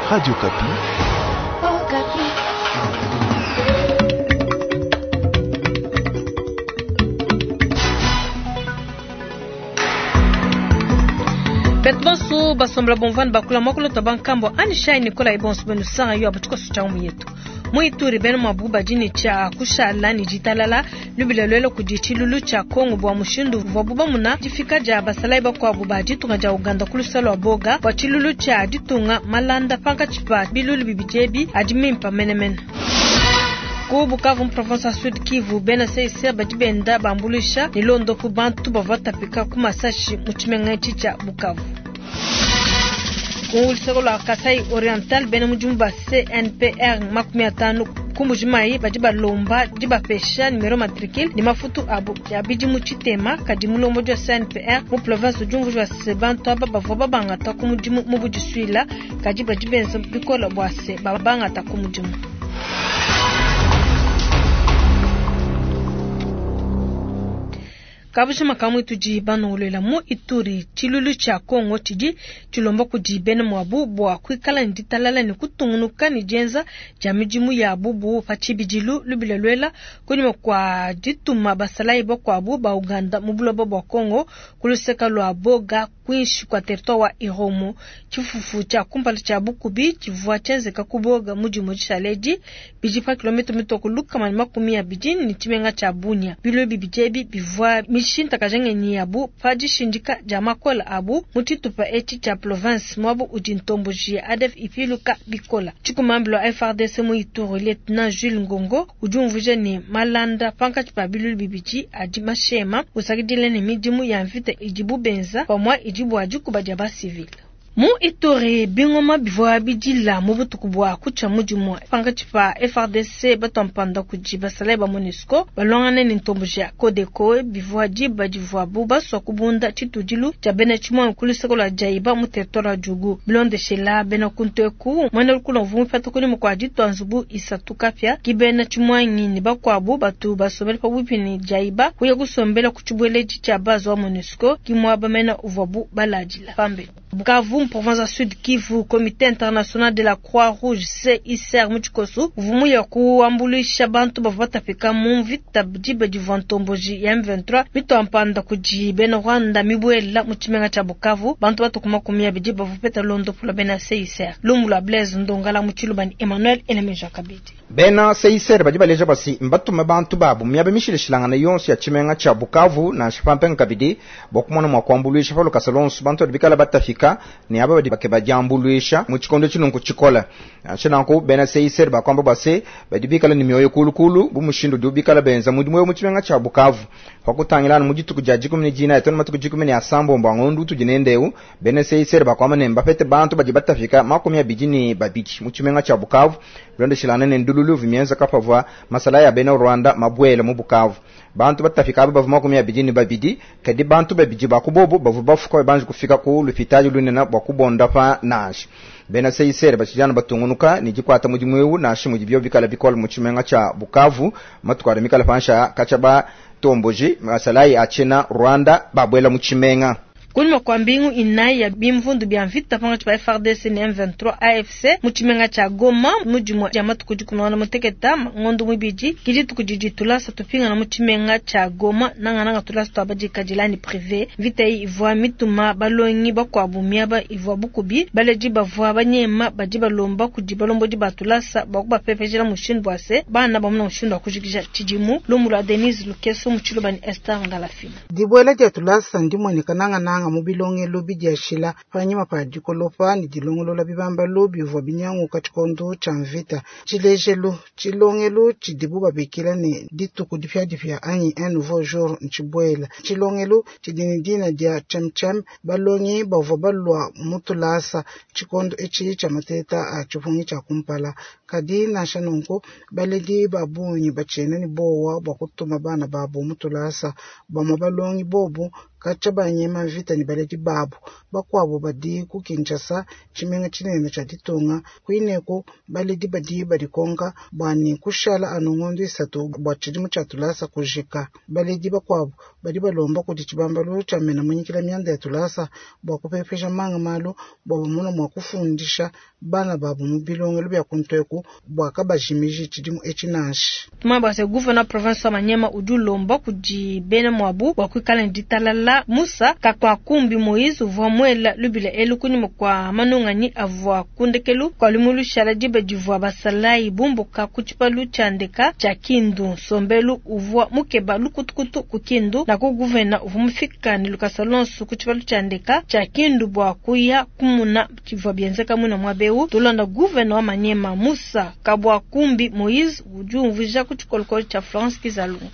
Radio Okapi. Okapi. Beto bonso basombola bomvani bakula mwakulota bankambo anishayi nikola ibonso benu sanga yo abatikoso cha umu yetu mu Ituri bena mwabu badi tshia kushala ni ditalala lubila lwelo kudi tshilulu tshia Kongo bua mushindu uvuabu bamuna difika dia basalayi bakuabu ba ditunga dia Uganda ku luseke lua Boga bua tshilulu tshia ditunga malanda pankatshi pa bilulu bibidi ebi adi mimpa menemene. Ku Bukavu mu province ya Sud Kivu bena CICR badi benda bambuluisha ne londopu bantu bavua batapika ku masashi mu tshimenga etshi tshia Bukavu. Ku luseke lua Kasai Oriental bena mudimu ba CNPR 50 ku Mbuji-Mayi badi balomba dibapesha numero matricule ne mafutu abu ya bidimu tshitema kadi mulombodi wa CNPR mu province udi umvuija se bantu aba bavua babangata ku mudimu mu budisuila kadi badi benza bikole bua se babangata ku mudimu. Kabushima kamwe tudi banongolola mu Ituri tshilulu tshia Kongo tshidi tshilomba kudi bena muabu bua kuikala ne ditalala ne kutungunuka ne dienza dia midimu yabu bu pa tshibidilu lubila luela kunyima kua dituma basalayi bakuabu ba Uganda mu buloba bua Kongo ku luseke lua Boga kuinshi kua territoire wa Irumu. Tshifufu tshia kumpala tshia bukubi tshivua tshienzeka ku Boga mu dimue dishale edi bidi pa kilomita mitue ku 120 ne tshimenga tshia Bunia. Bilo bibidi ebi bivua mishintakaja ngenyi yabu pa dishindika dia makola abu mu tshitupa etshi tshia province muabu udi ntomboji ya ADF ipiluka bikola. Tshikumambilo wa FARDC mu Ituri Lieutenant Jules Ngongo udi umvuija ne malanda pankatshi pa bilulu bibidi adi mashema usakidila ne midimu ya mvita idibu benza pamue idi bua dikuba dia basivile. Mu Ituri bingoma bivua bidila mu butuku bua kutshia mudimu pankatshi pa FARDC batua mpanda kudi basalayi ba MONUSCO balongane ne ntomboji ya Codeco bivua diba divuabu basua kubunda tshitudilu tshia bena tshimuangi ku luseke lua Djaiba mu territoire wa Djugu. Bilondeshela bena kuntu eku muena lukuna uvua mupeta kunyima kua ditua nzubu isatu kapia ki bena tshimuangi ne bakuabu batu basombele pabuipi ne Djaiba kuya kusombela ku tshibueledi tshia base wa MONUSCO ki muaba mena uvuabu baladila pambelu. Bukavu mu province ya Sud Kivu, Comité international de la Croix-Rouge CICR mu tshikoso uvua muya kuambuluisha bantu bavua batapika mu mvita diba divua ntomboji ya M23 mitua mpanda kudi bena Rwanda mibuela mu tshimenga tshia Bukavu. Bantu batu ku 20 bavua bapeta londopu lua bena CICR. Lumu lua Blaise Ndongala mu Tshiluba ne Emmanuel Enemeja Kabidi. Bena CICR badi baleja basi mbatume bantu babu miaba mishilashilangane yonso ya tshimenga tshia Bukavu nansha pampenga kabidi bua kumona mua kuambuluisha pa lukasa lonso bantu badi bikala batafika ne aba badi bakeba diambuluisha mu tshikondo tshilungu tshikola. Nansha nanku bena CICR bakwamba bua se badi bikala ne mioyo kulukulu bu mushindu udi bikala benza mudimu eu mu tshimenga tshia Bukavu. Pa kutangilana mu dituku dia 14 tona matuku 18 a ngondu utudi nende eu bena CICR bakwamba ne mbapete bantu badi batafika 22 mu tshimenga tshia Bukavu bilondeshilana ne ndululu vimienza kapavua masala ya bena Rwanda mabwele mu Bukavu. Bantu batafika aba bavua 22 kadi bantu babidi bakubobo bavua bafuka banji kufika ku lupitali lunene bua kubonda pa nansha. Bena CICR batshijana batungunuka ne dikwata mudimu eu nansha mudi bio bikala bikola mu tshimenga tshia Bukavu matuku adi mikala pansha katshia ba tomboji masalayi a tshena Rwanda babwela mu tshimenga. Kunyima kua mbingu inayi ya bimvundu bia mvita pankatshi pa FARDC ne M23 AFC mu tshimenga tshia Goma mu dimue dia matuku 16 ngondo muibidi ki dituku didi tulasa tupingana mu tshimenga tshia Goma nangananga tulasa tua badikadila ne privé. Mvita eyi ivua mituma balongi bakuabu miaba ivua bukubi baledi bavua banyema badi balomba kudi balombodi ba tulasa bua kubapepejela mushindu bua se bana bamuna mushindu wa kujikija tshidimu. Lumu lua Denise Lukeso mu Tshiluba ne Esther Ngalafina. Dibuela dia tulasa ndimueneka nangananga mu bilongelo bidiashila panyima pa dikolopa ne dilongolola bibambalu bivua binyanguka tshikondo tshia mvita. Tshilejelu tshilongelo tshidibu babikila ne dituku dipiadipia anyi un nouveau jour ntshibuela. Tshilongelo tshidi ne dina dia Chemchem balongi bavua balua mu tulasa tshikondo etshi tshia mateta a tshipungi tshia kumpala. Kadi nansha nunku baledi ba bungi batshiena ne bowa bua kutuma bana babu mu tulasa. Bamue balongi bobu katshia banyema mvita. mvita ne baledi babu. Bakuabu badi ku Kinshasa, tshimenga tshinene tshia ditunga. Kuineku baledi badi badikonka bua ne kushala anu ngondo isatu bua tshidimu tshia tulasa kujika. Baledi bakuabu badi balomba kudi tshibambalu tshia mena munyikila mianda ya tulasa bua kupepeja manga malu bua bamone mua kufundisha bana babu mu bilongelu bia kuntu bua kabajimiji tshidimu etshi nansha. Tumanye bua se gouverneur province wa Maniema udi ulomba kudi bena muabu bua kuikala ne ditalala. Musa Kakwakumbi Moise uvua muela lubila elu kunyima kua manunganyi avua ku ndekelu kua lumingu lushala diba divua basalayi bumbuka ku tshipalu tshia ndeka tshia Kindu. Nsombelu uvua mukeba lukutukutu ku Kindu, naku gouverneur uvua mufika ne lukasa luonso ku tshipalu tshia ndeka tshia Kindu bua kuya kumuna tshivua bienzeka muina muaba eu. Tulonda gouverneur wa Maniema Musa Kabwakumbi Moise udi umvuija ku tshikolokolo tshia Florence Kizalunga.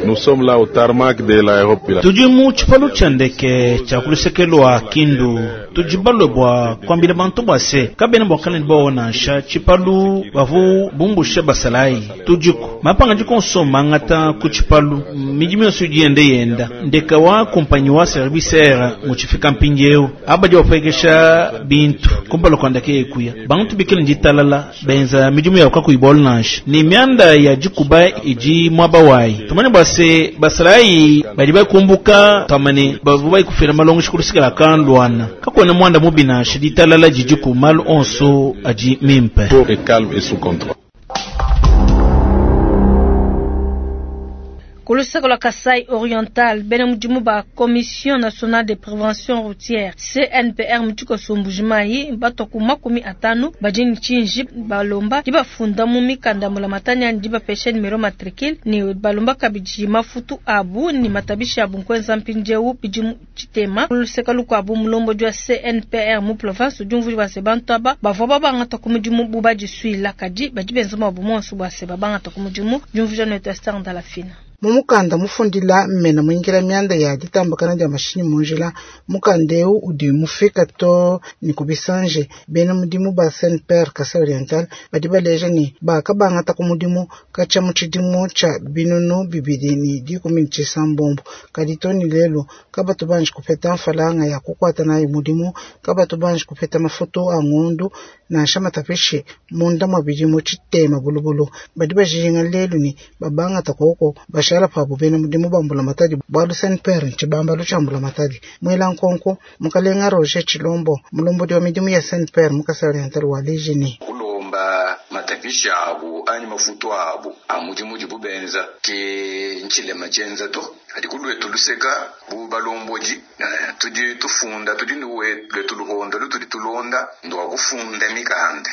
Nous sommes là au tarmac de l'aéroport. Tudi mu tshipalu tshia ndeke tshia ku luseke lua Kindu. Tudi balue bua kuambila bantu bua se kabena bua kala ne buowa nansha. Tshipalu bavu bumbushe basalayi tudiku. Mapangadika onso mangata ku tshipalu, midimu yonso idi yenda yenda. Ndeka wa kumpanyi wa service air mutshifika mpindieu. Aba badi bapuekesha bintu kumpala kua ndeke ekuya. Bantu bikale ne ditalala benza midimu yabu kakuyi bualu nansha. Ne mianda ya dikuba idi muaba wayi. Tumanye bua se basalayi badi bakumbuka tuamba ne bavua bayikufila malongesha ku luseke lua Kanluana. Kakuena muanda mubi nansha, ditalala didiku, malu onso adi mimpe. Est calme et sous contrôle. Ku luseke lua Kasai Oriental, bena mudimu ba Commission Nationale de Prévention Routière CNPR mu tshikoso Mbuji-Mayi batua ku 50 badi ne tshinji balomba dibafunda mu mikanda mbulamatadi anyi dibapesha numero matricule ne balomba kabidi mafutu abu ne matabishi abu nkuenza mpindieu bidimu tshitema. Ku luseke lukuabu, mulombodi wa CNPR mu province udi umvuija bua se bantu aba bavua babangata ku mudimu bu badisuila, kadi badi benza muabu muonso bua se babangata ku mudimu. Diumvuija netu Esther Ndalafina. Mu mukanda mufundila mmena muingila mianda ya ditambakana dia mashinyi mu njila, mukanda eu udi mufika to ne ku bisanje. Bena mudimu ba CNPR Kasai Oriental badi baleja ne bakabangata ku mudimu katshia mu tshidimu tshia 2019, kadi to ne lelu kabatu banji kupeta mfalanga ya kukuata nayi mudimu, kabatu banji kupeta mafutu a ngondu nansha matapishi munda mwa bidimu tshitema bulubulu. Badi bajinga lelu ne babangata koko bashala pabu bena mudimu ba mbulamatadi bualu CNPR ntshibambalu tshia mbulamatadi. Muela nkonko mukalenga Roger Tshilombo mulombodi wa midimu ya CNPR mu Kasai Oriental waleji ne kulomba matapishi abu anyi mafutu abu a mudimu udibu benza ke ntshilema tshienza to. Kadi ku luetu luseka bu balombodi tudi tufunda, tudi ne luetu luhondo lutudi tulonda ndua kufunda mikanda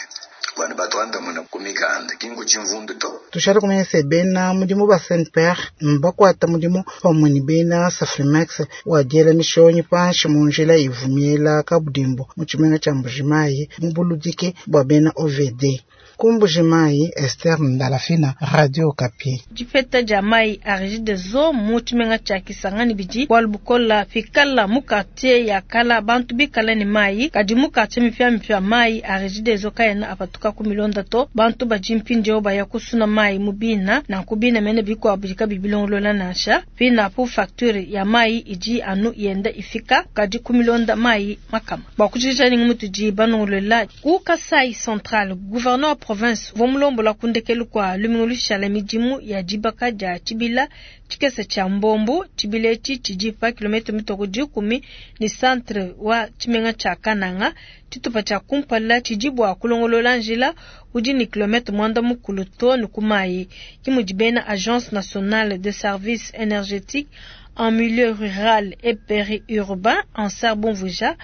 bana batuandamuna ku mikanda ki nku tshimvundu to. Tushale kumanya se bena mudimu ba CNPR mbakuata mudimu pamue ne bena Safrimex wa diela mishonyi panshi mu njila ivumiela kabudimbu mu tshimenga tshia Mbuji-Mayi mu buludiki bua bena OVD. Ku Mbuji-Mayi, Esther Ndalafina, Radio Okapi. Dipeta dia mayi a Regideso mu tshimenga tshia Kisangani bidi bualu bukola pikala mu quartier ya kala bantu bikala ne mayi, kadi mu quartier mipiamipia mayi a Regideso kaena apatuka ku milonda to. Bantu badi mpindieu baya kusuna mayi mu bina, nanku bina mene bikuabu bidi kabiyi bilongolola nansha. Pinapu facture ya mayi idi anu yenda ifika, kadi ku milonda mayi makama. Bua kujikija ne mutudi banongolola ku Kasai Central, gouverneur wa province uvua mulombola ku ndekelu kua lumingu lushala midimu ya dibaka dia tshibila tshikese tshia Mbombo. Tshibila etshi tshidi pa kilomètre mitoko 10 ne centre wa tshimenga tshia Kananga. Tshitupa tshia kumpala tshidi bua kulongolola njila udi ne kilomètre 90 to ne ku mayi. Ke mudi bena Agence nationale de services énergétiques en milieu rural et périurbain ANSER bumvuija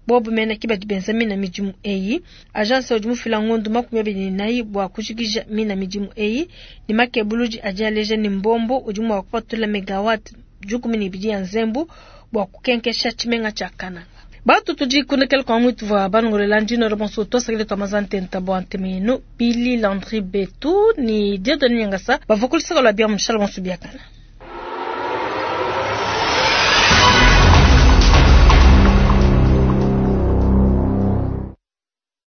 bobu mene ke badi benza mina midimu eyi. Agence udi mufila ngondo 24 bua kujikija mina midimu eyi ne makebuludi adi aleja ne Mbombo udi mua kupatula megawatt 12 ya nzembu bua kukenkesha tshimenga tshia Kananga. Batu tudi kundekela kwa mwitu wa banongolela ndino robonso twasakile twa mazantenta bua ntemenu Billy Landry Betu ni Dieudonné Nyangasa bavua ku luseke lua bia mushala bonso biakana.